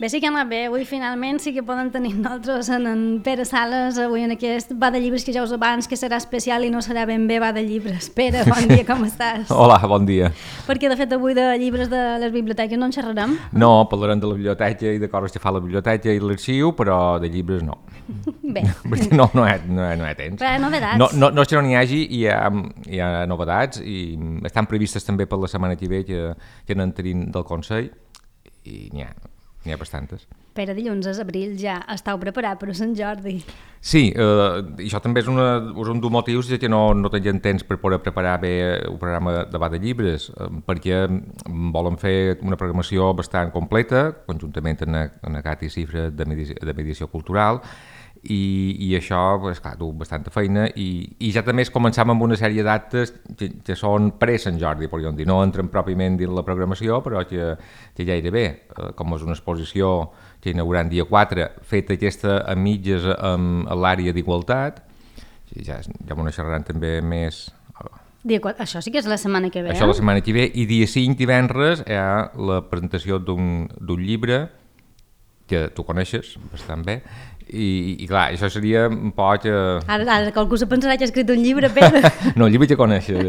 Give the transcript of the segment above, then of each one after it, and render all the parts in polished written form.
Bé, sí que ha anat bé. Avui finalment sí que podem tenir nosaltres en Pere Sales avui en aquest va de llibres que ja us abans que serà especial i no serà ben bé va de llibres. Pere, bon dia, com estàs? Hola, bon dia. Perquè de fet avui de llibres de les biblioteques no en xerrarem. No, parlarem de la biblioteca i de coses que fa la biblioteca i l'arxiu, però de llibres no. Bé. No hi ha temps. Però novedats. No és que no n'hi hagi, hi ha novedats i estan previstes també per la setmana que ve que n'en tenim del Consell i n'hi ha bastantes. Pere, dilluns a abril ja estàu preparat per a Sant Jordi. Sí, i això també és un dels motius que no tenien temps per poder preparar bé un programa de de llibres, perquè volen fer una programació bastant completa, conjuntament amb Cati Cifra de Mediació Cultural, i això, pues, clar, du bastanta feina i ja també començam amb una sèrie d'actes que són pre-Sant Jordi, podríem dir, no entren pròpiament dins la programació, però que gairebé, com és una exposició que inaugurant dia 4, feta aquesta a mitges amb l'àrea d'igualtat, ja m'ho xerraran també més... Això sí que és la setmana que ve, Això la setmana que ve, i dia 5, divendres, hi ha la presentació d'un llibre que tu coneixes bastant bé, i clar, això seria un poc... Ara qualcú se pensarà que ha escrit un llibre, Pere. No, el llibre que coneixes.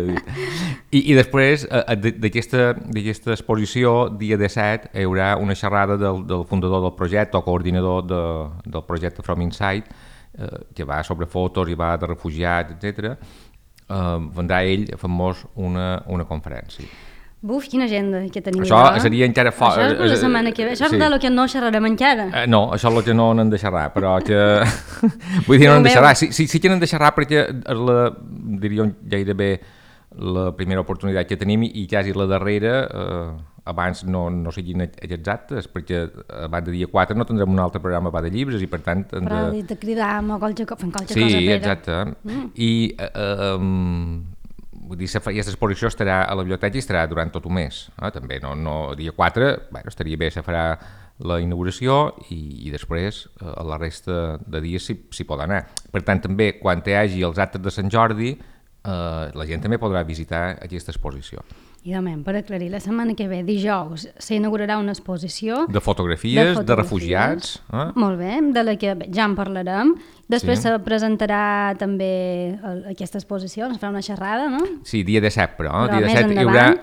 I després, d'aquesta exposició, dia 17, hi haurà una xerrada del fundador del projecte, o coordinador del projecte From Inside, que va sobre fotos i va de refugiats, etc. Vendrà ell a famós una conferència. Buf, quina agenda que tenim. Això seria encara fort. Això és per la setmana que ve. Això és del que no xerrarem encara. No, això és el que no n'hem de xerrar, però que... Vull dir, no n'hem de xerrar. Sí que n'hem de xerrar perquè és diríem, gairebé la primera oportunitat que tenim i quasi la darrera, abans no siguin aquests actes, perquè abans de dia 4 no tindrem un altre programa de llibres i per tant... Però de cridar-me o qualque cosa, Pere. Sí, exacte. I... Vull dir, aquesta exposició estarà a la biblioteca i estarà durant tot un mes. També, dia 4, estaria bé, se farà la inauguració i després a la resta de dies s'hi pot anar. Per tant, també, quan hi hagi els actes de Sant Jordi, la gent també podrà visitar aquesta exposició. I també, per aclarir, la setmana que ve, dijous, s'inaugurarà una exposició... De fotografies, de refugiats. Molt bé, de la que ja en parlarem. Després se presentarà també aquesta exposició, ens farà una xerrada, no? Sí, dia 17, però dia 17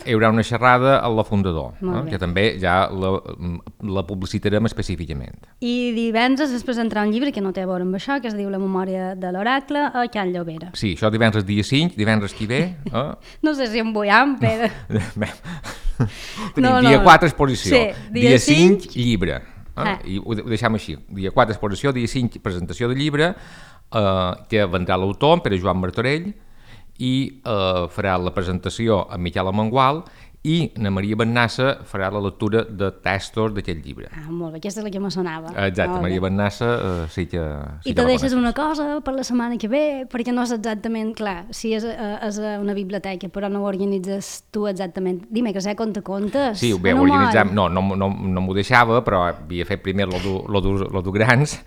hi haurà una xerrada a la Fundador, que també ja la publicitarem específicament. I divendres es presentarà un llibre que no té a veure amb això, que es diu La memòria de l'oracle, a Can Llobera. Sí, això divendres dia 5, divendres qui ve... No sé si em vull Pere. Tenim dia 4 exposició, dia 5 llibre. I ho deixem així, dia 4 exposició, dia 5 presentació de llibre, que vendrà l'autor, Pere Joan Martorell, i farà la presentació amb Miquel Amengual, i na Maria Bennassa farà la lectura de textos d'aquest llibre. Molt bé, aquesta és la que me sonava. Exacte, Maria Bennassa sí que I te deixes una cosa per la setmana que ve, perquè no és exactament, clar, si és una biblioteca, però no ho organitzes tu exactament. Dime que sé contes. Sí, bé, ho organitzam, no m'ho deixava, però havia fet primer lo du grans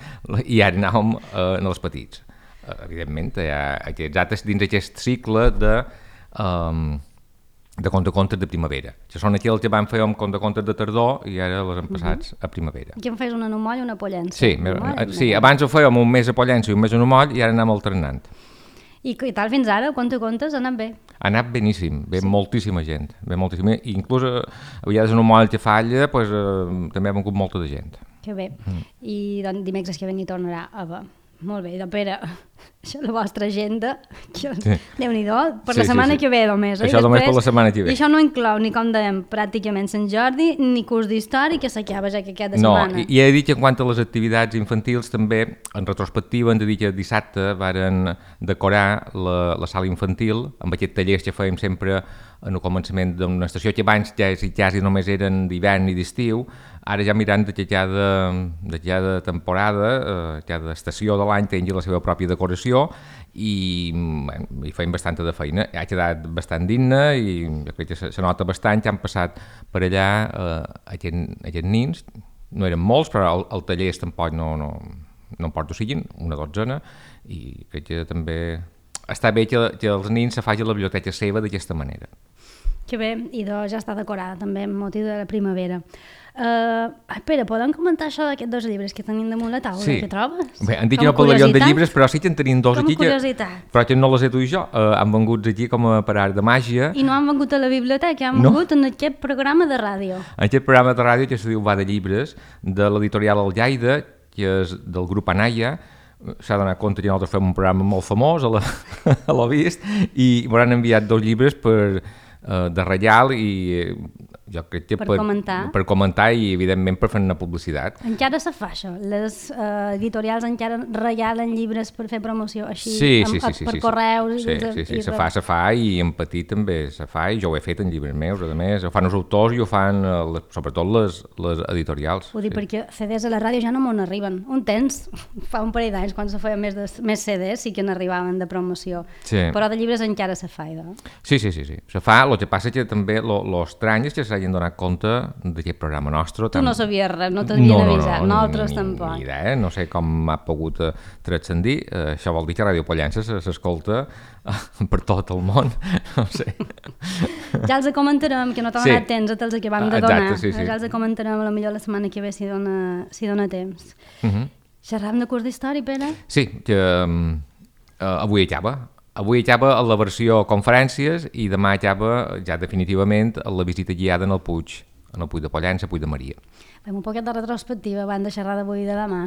i ara anàvem en els petits. Evidentment, hi ha aquests actes dins aquest cicle de contes de primavera, que són aquells que van fer amb contes de tardor i ara els hem passats a primavera. I em fes una moll i una pollença? Sí, abans ho fèiem un mes a pollença i un mes a moll i ara anem alternant. I tal fins ara? Contes ha anat bé? Ha anat beníssim, ve moltíssima gent, i inclús a vegades en un moll que falla també ha vengut molta de gent. Que bé, i dimecres que ve n'hi tornarà a haver. Molt bé, Pere, això és la vostra agenda, Déu-n'hi-do, per la setmana que ve només. Això només per la setmana que ve. I això no inclou ni, com dèiem, pràcticament Sant Jordi, ni curs d'història, que s'acaba ja aquesta setmana. No, i he dit que en quant a les activitats infantils també, en retrospectiva, hem de dir que dissabte varen decorar la sala infantil amb aquests tallers que fèiem sempre en el començament d'una estació que abans quasi només eren d'hivern i d'estiu, ara ja mirant que cada temporada, cada estació de l'any tingui la seva pròpia decoració i feim bastanta de feina. Ha quedat bastant digne i jo crec que se nota bastant que han passat per allà aquests nins. No eren molts, però el taller tampoc no em porto siguin, una dotzena, i crec que també està bé que els nins se facin la biblioteca seva d'aquesta manera. Que bé, i ja està decorada també amb motiu de la primavera. Pere, podem comentar això d'aquests 2 llibres que tenim damunt la taula? Sí. Què trobes? Bé, han dit que no parlaríem de llibres, però sí que en tenim 2 aquí, però que no les he dut jo. Han vengut aquí com a per art de màgia. I no han vengut a la biblioteca, han vengut en aquest programa de ràdio. En aquest programa de ràdio que se diu Va de llibres, de l'editorial Algaida, que és del grup Anaya. S'ha donat compte que nosaltres fem un programa molt famós a l'Ho Vist, i m'han enviat 2 llibres de reial i jo crec que per comentar i evidentment per fer una publicitat. Encara se fa això? Les editorials encara regalen llibres per fer promoció així per correus? Sí, se fa i en petit també se fa, i jo ho he fet en llibres meus, a més, ho fan els autors i ho fan sobretot les editorials. Ho dic perquè CDs a la ràdio ja no m'on arriben. Un temps, fa un parell d'anys, quan se feien més CDs sí que n'arribaven de promoció, però de llibres encara se fa. Sí, se fa. El que passa és que també l'estrany és que s'hagin donat compte d'aquest programa nostre. Tu no sabies res, no t'havien avisat, nosaltres tampoc. Ni idea, no sé com ha pogut transcendir. Això vol dir que Ràdio Pollença s'escolta per tot el món, no sé. Ja els comentarem, que no t'ha donat temps a te'ls que vam de donar. Sí. Ja els comentarem a la millor la setmana que ve si dona temps. Xerram de curs d'història, Pere? Sí, que avui acaba. Avui acaba la versió conferències i demà acaba ja definitivament la visita guiada en el Puig de Pollença, Puig de Maria. Fem un poquet de retrospectiva abans de xerrar d'avui i de demà.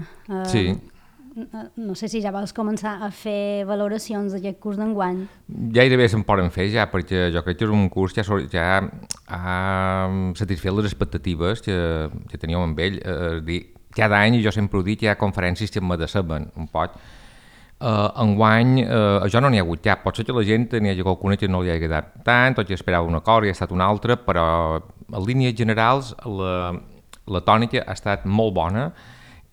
Sí. No sé si ja vols començar a fer valoracions d'aquest curs d'enguany. Gairebé se'n poden fer ja, perquè jo crec que és un curs que ja ha satisfet les expectatives que teníem amb ell. Cada any, jo sempre ho dic, hi ha conferències que me deceben un poc. Enguany això no n'hi ha hagut cap, pot ser que la gent n'hi hagi qualcuna que no li ha agradat tant o que esperava una cosa i ha estat una altra, però en línies generals la tònica ha estat molt bona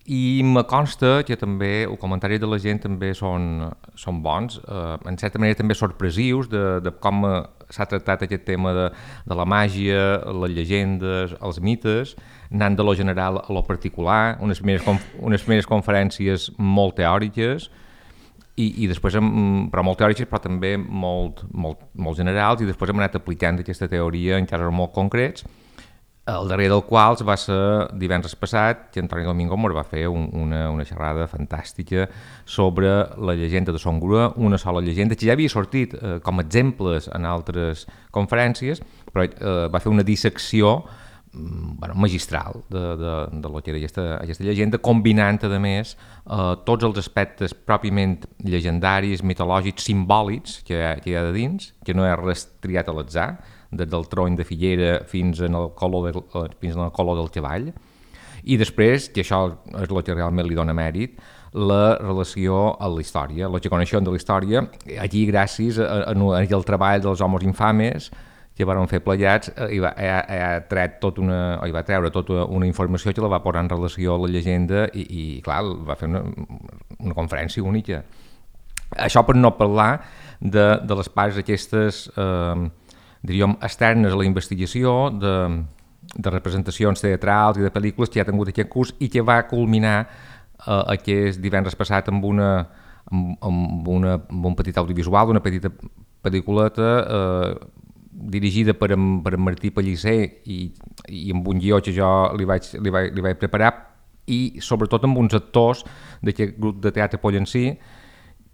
i me consta que també els comentaris de la gent també són bons, en certa manera també sorpresius de com s'ha tractat aquest tema de la màgia, les llegendes, els mites, anant de lo general a lo particular, unes primeres conferències molt teòriques i després, però molt teòriques, però també molt generals, i després hem anat aplicant aquesta teoria en casos molt concrets, el darrer del qual va ser divendres passat, que Antoni Domingo va fer una xerrada fantàstica sobre la llegenda de Son Grua, una sola llegenda, que ja havia sortit com a exemples en altres conferències, però va fer una dissecció magistral de lo que era aquesta llegenda, combinant, a més, tots els aspectes pròpiament llegendaris, mitològics, simbòlics que hi ha de dins, que no és res triat a l'atzar, des del tron de figuera fins al color del cavall, i després, que això és el que realment li dona mèrit, la relació a la història, la que coneixem de la història, allí gràcies al treball dels homes infames, que van fer plegats, i va treure tota una informació que la va posar en relació a la llegenda i clar, va fer una conferència única. Això per no parlar de les parts aquestes, diríem, externes a la investigació, de representacions teatrals i de pel·lícules que ja ha tingut aquest curs i que va culminar aquest divendres passat amb un petit audiovisual, una petita pel·lículeta dirigida per en Martí Pellicer i amb un guió que jo li vaig preparar, i sobretot amb uns actors d'aquest grup de teatre pollencí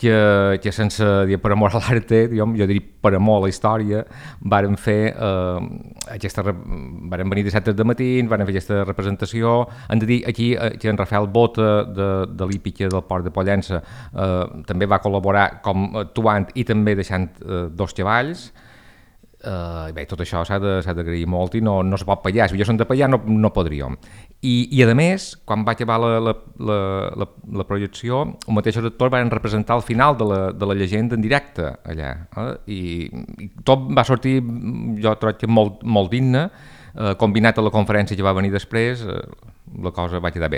que sense dir per amor a l'arte, jo diria per amor a la història, varen venir dissabtes de matí, van fer aquesta representació. Hem de dir aquí que en Rafael Bota de l'Hípica del Port de Pollença també va col·laborar com actuant i també deixant 2 cavalls. Bé, tot això s'ha d'agrair molt i no se pot pallar. Si jo som de pallar no podríem. I a més, quan va acabar la projecció, els mateixos actors van representar el final de la llegenda en directe allà, i tot va sortir, jo crec que molt digne, combinat a la conferència que va venir després, la cosa va quedar bé.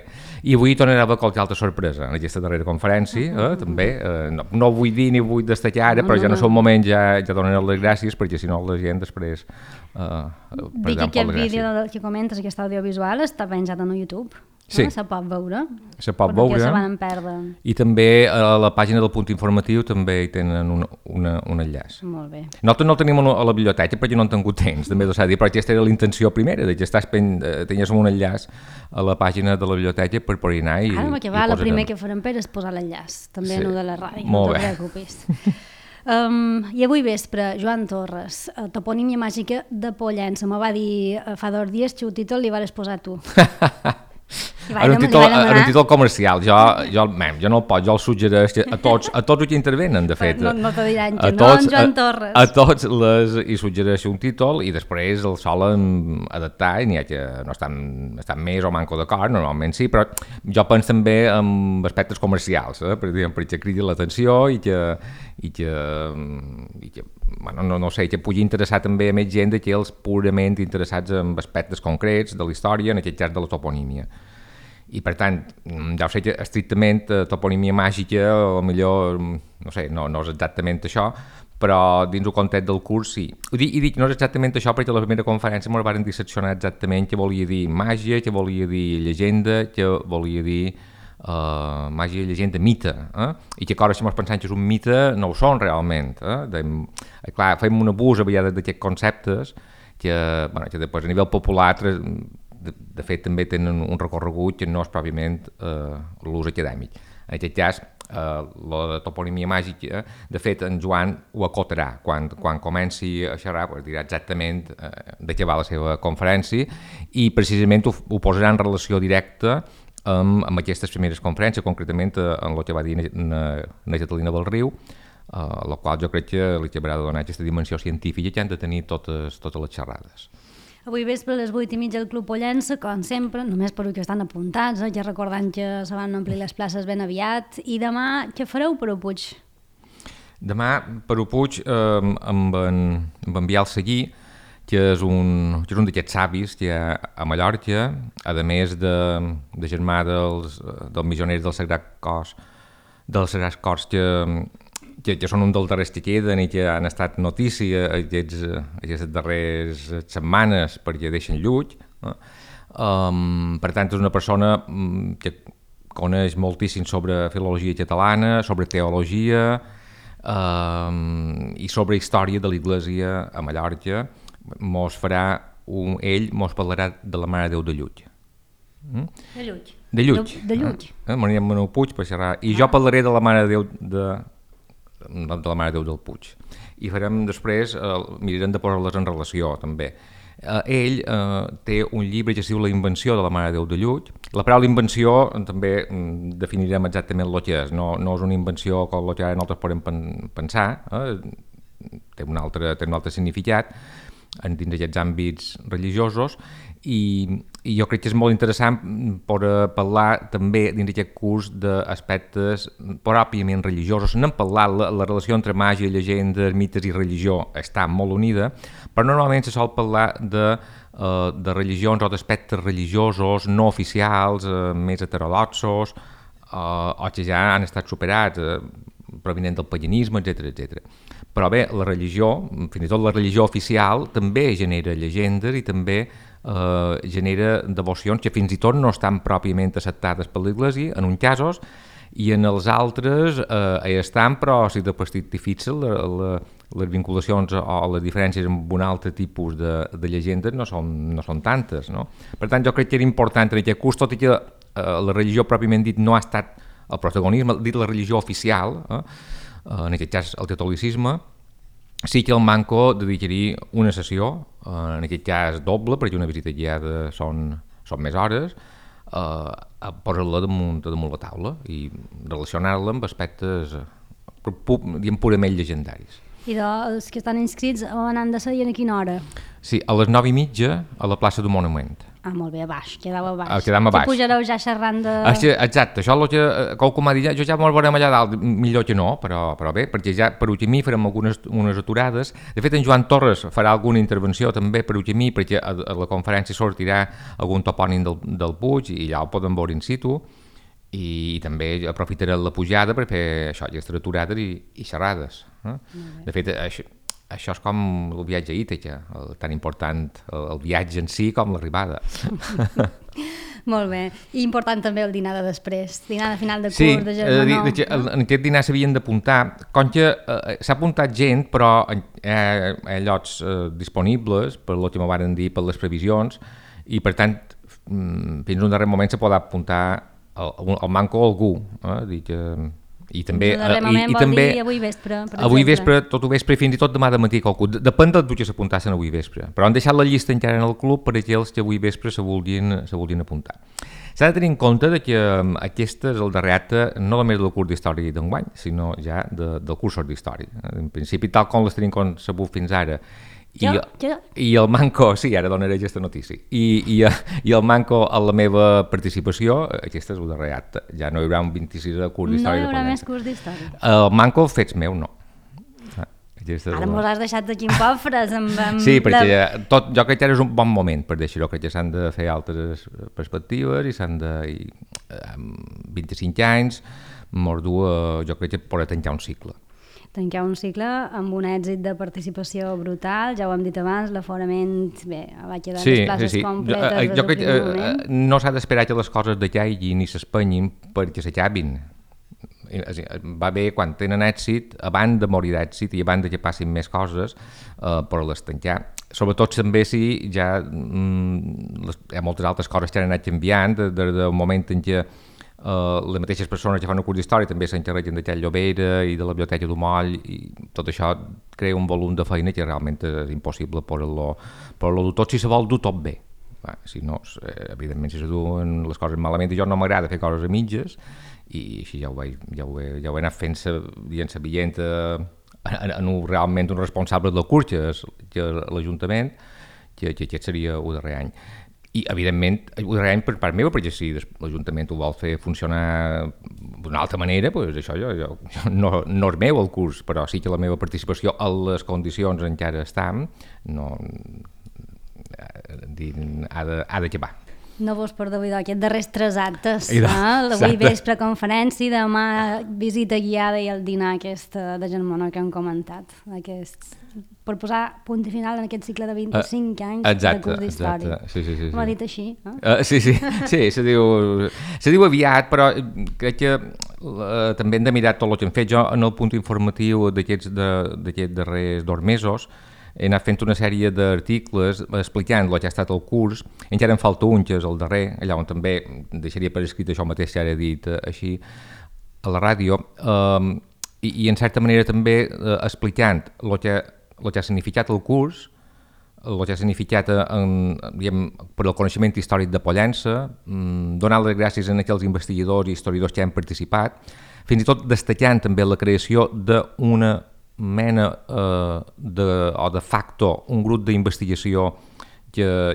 I avui tornarà a haver qualque altra sorpresa en aquesta darrera conferència, també. No vull dir ni vull destacar ara, però ja no és el moment, ja donaré les gràcies, perquè si no la gent després dic que aquest vídeo que comentes, aquest audiovisual, està penjat en YouTube. Sí. Se pot veure. Se pot però veure. que se van perdre. I també a la pàgina del punt informatiu també hi tenen un enllaç. Molt bé. Nosaltres no el tenim a la biblioteca perquè no hem tingut temps, també s'ha de dir, però aquesta era la intenció primera, de que tenies un enllaç a la pàgina de la biblioteca per poder anar i... Ara, que va, el primer que farem és posar l'enllaç, també en de la ràdio, no te preocupis. I avui vespre, Joan Torres, Toponímia màgica de Pollença, me va dir fa 2 dies que el títol li vas posar tu. Era un títol comercial, jo no el pot, jo el suggereix a tots els que intervenen, de fet. No te diran que no, en Joan Torres. A tots hi suggereixo un títol i després el solen adaptar i n'hi ha que no estan més o manco d'acord, normalment sí, però jo penso també en aspectes comercials, perquè cridi l'atenció i que bueno, no sé, que pugui interessar també a més gent d'aquells purament interessats en aspectes concrets de la història, en aquest cas de la toponímia. I per tant, ja ho sé que estrictament toponímia màgica, o millor, no sé, no és exactament això, però dins el context del curs sí. I dic no és exactament això perquè a la primera conferència ens van disseccionar exactament què volia dir màgia, què volia dir llegenda, què volia dir màgia, llegenda, mite, i que ara si ens pensem que és un mite no ho són realment. Clar, fem un abús a vegades d'aquests conceptes que després a nivell popular de fet també tenen un recorregut que no és pròpiament l'ús acadèmic. En aquest cas, la de toponímia màgica, de fet en Joan ho acotarà quan comenci a xerrar, dirà exactament de què va la seva conferència i precisament ho posarà en relació directa amb aquestes primeres conferències, concretament en el que va dir na Catalina del Riu, la qual jo crec que li acabarà de donar aquesta dimensió científica que han de tenir totes les xerrades. Avui vespre a les 8:30 al Club Pollença, com sempre, només per que estan apuntats, ja recordant que se van omplir les places ben aviat. I demà, què fareu per Puig? Demà, per Puig, amb en Biel Seguí, que és un d'aquests savis que hi ha a Mallorca, a més de germà dels missioners del Sagrat Cors, que són un dels darrers que queden i que han estat notícia aquestes darreres setmanes perquè deixen Llull. Per tant, és una persona que coneix moltíssim sobre filologia catalana, sobre teologia i sobre història de l'Església a Mallorca. Ell mos parlarà de la Mare de Déu de Llull. De Llull. De Llull. De Llull. M'anirem a Puig per xerrar. I jo parlaré de la Mare de Déu de la Mare de Déu del Puig. I farem després, mirarem de posar-les en relació també. Ell té un llibre que es diu La invenció de la Mare de Déu de Llull. La paraula invenció també definirem exactament el que és. No és una invenció com el que ara nosaltres podem pensar, té un altre significat dins d'aquests àmbits religiosos i jo crec que és molt interessant per parlar també dins d'aquest curs d'aspectes pròpiament religiosos. N'hem parlat, la relació entre màgia, llegendes, mites i religió està molt unida, però normalment se sol parlar de religions o d'aspectes religiosos no oficials, més heterodoxos, o que ja han estat superats, provinent del paganisme, etc. Però bé, la religió, fins i tot la religió oficial, també genera llegendes i també genera devocions que fins i tot no estan pròpiament acceptades per l'Església, en uns casos, i en els altres hi estan, però si després t'hi fixes, les vinculacions o les diferències amb un altre tipus de llegendes no són tantes. No? Per tant, jo crec que era important en aquest curs, tot i que la religió pròpiament dit no ha estat el protagonisme, dit la religió oficial, en aquest cas el catolicisme, sí que el Manco dedicaria una sessió, en aquest cas doble, perquè una visita guiada són més hores, a posar-la damunt la taula i relacionar-la amb aspectes purament llegendaris. I els que estan inscrits on han de ser i a quina hora? Sí, a les 9:30 a la plaça del Monument. Molt bé, a baix, quedava a baix. Quedam a baix. Que pujareu ja xerrant de... Exacte, això és el que m'ha dit, jo ja m'ho veurem allà dalt, millor que no, però bé, perquè ja per Ugemí farem unes aturades. De fet, en Joan Torres farà alguna intervenció també per Ugemí, perquè a la conferència sortirà algun topònim del Puig i ja ho poden veure in situ, i també aprofitaré la pujada per fer això, aquestes aturades i xerrades. De fet, això és com el viatge a Ítaca, tan important el viatge en si com l'arribada. Molt bé. I important també el dinar de després, dinar de final de curs, de germanor. Sí, en aquest dinar s'havien d'apuntar. Com que s'ha apuntat gent, però hi ha llocs disponibles, per el que m'ho van dir, per les previsions, i per tant, fins a un darrer moment se pot apuntar el manco algú. I també avui vespre, per exemple. Avui vespre, tot ho vespre, fins i tot demà de matí qualcú. Depèn del que s'apuntassin avui vespre. Però han deixat la llista encara en el club per aquells que avui vespre se vulguin apuntar. S'ha de tenir en compte que aquest és el darrer acte no només del curs d'història d'enguany, sinó ja del curs d'història. En principi, tal com les tenim concebut fins ara, i el manco, sí, ara donaré aquesta notícia, i el manco a la meva participació, aquest és el darrer acte, ja no hi haurà un 26 de curs d'història. No hi haurà més curs d'història. El manco fets meu, no. Ara mos has deixat aquí en pofres. Sí, perquè jo crec que ara és un bon moment per deixar-ho, crec que s'han de fer altres perspectives i s'han de... 25 anys, jo crec que podrà tancar un cicle. Tancar un cicle amb un èxit de participació brutal, ja ho hem dit abans, l'aforament, bé, va quedar les places completes des del primer moment. No s'ha d'esperar que les coses decaiguin i s'espenyin perquè s'acabin. Va bé quan tenen èxit, abans de morir d'èxit i abans que passin més coses, per les tancar. Sobretot també si ja hi ha moltes altres coses que han anat canviant des del moment en què les mateixes persones que fan un curs d'història també s'encarreguen d'aquella Llobera i de la Biblioteca d'Umoll, i tot això crea un volum de feina que realment és impossible per-lo dur tot si se vol dur tot bé. Si no, evidentment, si se duen les coses malament, i jo no m'agrada fer coses a mitges, i així ja ho he anat fent dient sabient realment un responsable del curs, que l'Ajuntament, que aquest seria el darrer any. I, evidentment, ho darrer any per part meva, perquè si l'Ajuntament ho vol fer funcionar d'una altra manera, doncs això no és meu el curs, però sí que la meva participació a les condicions en què ara estem ha d'acabar. No vos perdó, aquests darrers 3 actes, l'avui vespre conferència, demà visita guiada i el dinar aquest de germanor que hem comentat, per posar punt final en aquest cicle de 25 anys de curs d'història. Sí. M'ho ha dit així? Sí, se diu aviat, però crec que també hem de mirar tot el que hem fet. Jo, en el punt informatiu d'aquests darrers 2 mesos, he anat fent una sèrie d'articles explicant el que ha estat el curs. Encara en falta un, que és el darrer, allà on també deixaria per escrit això mateix que ara he dit així a la ràdio, i en certa manera també explicant el que ha significat el curs, el que ha significat per al coneixement històric de Pollença, donar les gràcies a aquells investigadors i historiadors que han participat, fins i tot destacant també la creació d'una mena o de facto un grup d'investigació que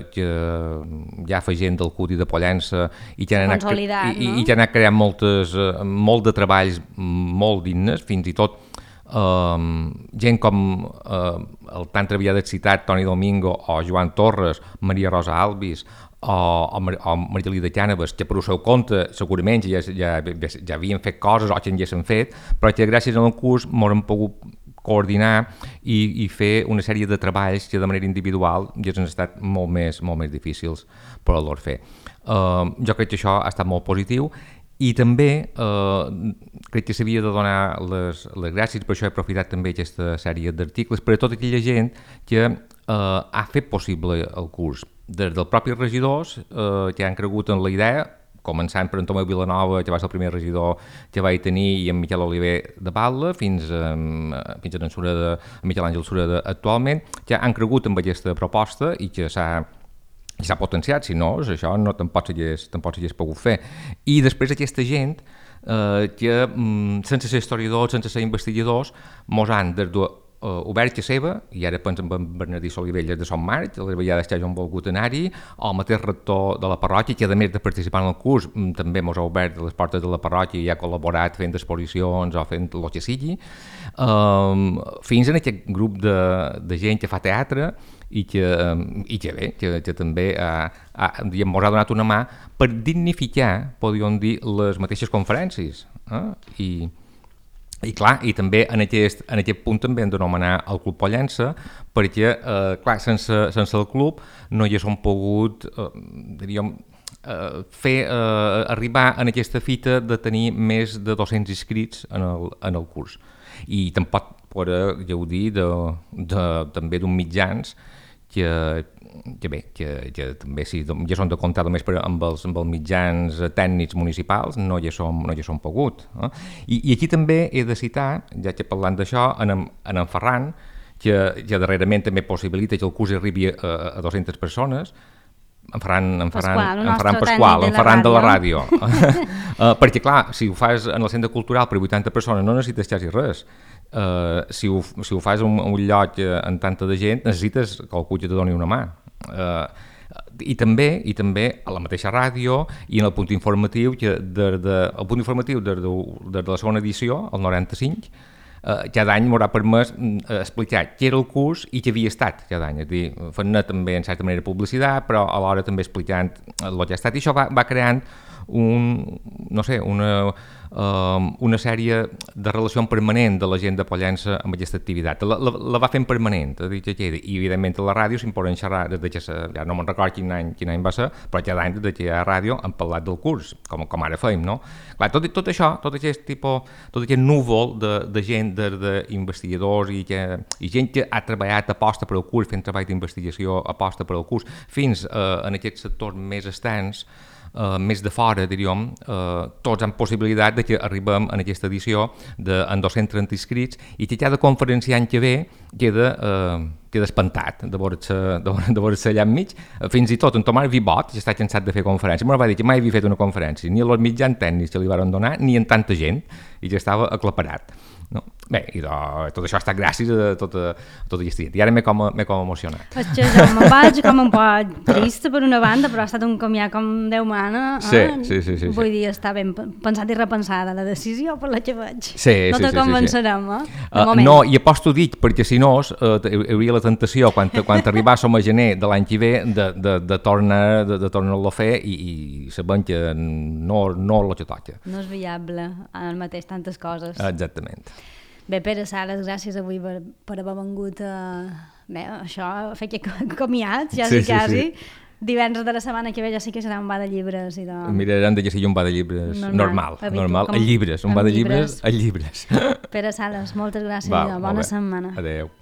ja fa gent del CUT i de Pollença i que han anat creant molt de treballs molt dignes, fins i tot gent com el tan treballat citat Toni Domingo o Joan Torres, Maria Rosa Alvis o Maria Lida Cànovas, que per el seu compte segurament ja havien fet coses o que ja s'han fet, però que gràcies al curs m'han pogut coordinar i fer una sèrie de treballs que de manera individual ja han estat molt més difícils per a fer. Jo crec que això ha estat molt positiu i també crec que s'havia de donar les gràcies, per això he aprofitat també aquesta sèrie d'articles per a tota aquella gent que ha fet possible el curs, des dels propis regidors que han cregut en la idea, començant per en Tomeu Vilanova, que va ser el primer regidor que vaig tenir, i en Miquel Oliver de Batlle, fins a Miquel Àngel Sureda actualment, que han cregut en aquesta proposta i que s'ha potenciat, si no, això tampoc s'hagués pogut fer. I després aquesta gent que, sense ser historiadors, sense ser investigadors, mos han obert que seva, i ara penso en Bernardí Solivelles de Son Marc, les vegades que hagin volgut anar-hi, el mateix rector de la parròquia, que a més de participar en el curs també ens ha obert les portes de la parròquia i ha col·laborat fent exposicions o fent el que sigui, fins en aquest grup de gent que fa teatre i que també ens ha donat una mà per dignificar, podríem dir, les mateixes conferències. I clar, i també en aquest punt també hem d'anomenar el Club Pollença, perquè clar, sense el club no hi haguéssim pogut, diríem, arribar en aquesta fita de tenir més de 200 inscrits en el curs. I tampoc podrà gaudir també d'uns mitjans que també ja són de comptar només amb els mitjans tècnics municipals, no ja són pogut. I aquí també he de citar, ja que parlant d'això, en Ferran, que darrerament també possibilita que el curs arribi a 200 persones, en Ferran Pasqual, en Ferran de la ràdio. Perquè, clar, si ho fas en el centre cultural per 80 persones no necessites quasi res. Si ho fas un lloc amb tanta de gent, necessites que algú te doni una mà. I també a la mateixa ràdio i en el punt informatiu, des de la segona edició, el 95, cada any m'haurà permès explicar què era el curs i què havia estat cada any, és a dir, fent-ne també en certa manera publicitat, però alhora també explicant el que ha estat, i això va creant una sèrie de relació permanent de la gent de Pollença amb aquesta activitat. La va fent permanent, i evidentment a la ràdio se'n poden xerrar, ja no me'n record quin any va ser, però cada any des que hi ha ràdio han parlat del curs, com ara feim, no? Clar, tot això, tot aquest núvol de gent, d'investigadors i gent que ha treballat aposta per al curs, fent treball d'investigació aposta per al curs, fins en aquests sectors més externs, més de fora, diríem, tots han possibilitat de que arribem en aquesta edició amb 230 inscrits i que cada conferenciant que ve queda espantat de veure-se allà enmig. Fins i tot en Tomàs Vibot, que està cansat de fer conferències, m'ho va dir que mai havia fet una conferència, ni a els mitjans tècnics que li van donar, ni en tanta gent, i ja estava aclaparat. No? Bé, i tot això ha estat gràcies a tota aquesta gent. I ara m'he com emocionat. És que jo me'n vaig com un poc trista per una banda, però ha estat un comiat com Déu mana. Sí. Vull dir, està ben pensat i repensada la decisió per la que vaig. Sí, no te convencerem, No, i aposto dit, perquè si no hi hauria la tentació, quan arribàssim a gener de l'any que ve, de tornar-lo a fer i sabem que no el que toca. No és viable al mateix tantes coses. Exactament. Bé, Pere Sales, gràcies avui per haver vengut a fer aquest comiat, quasi. Divendres de la setmana que ve ja sí que serà un bar de llibres. Mirarem de que sigui un bar de llibres normal, a llibres, un bar de llibres a llibres. Pere Sales, moltes gràcies i bona setmana. Adéu.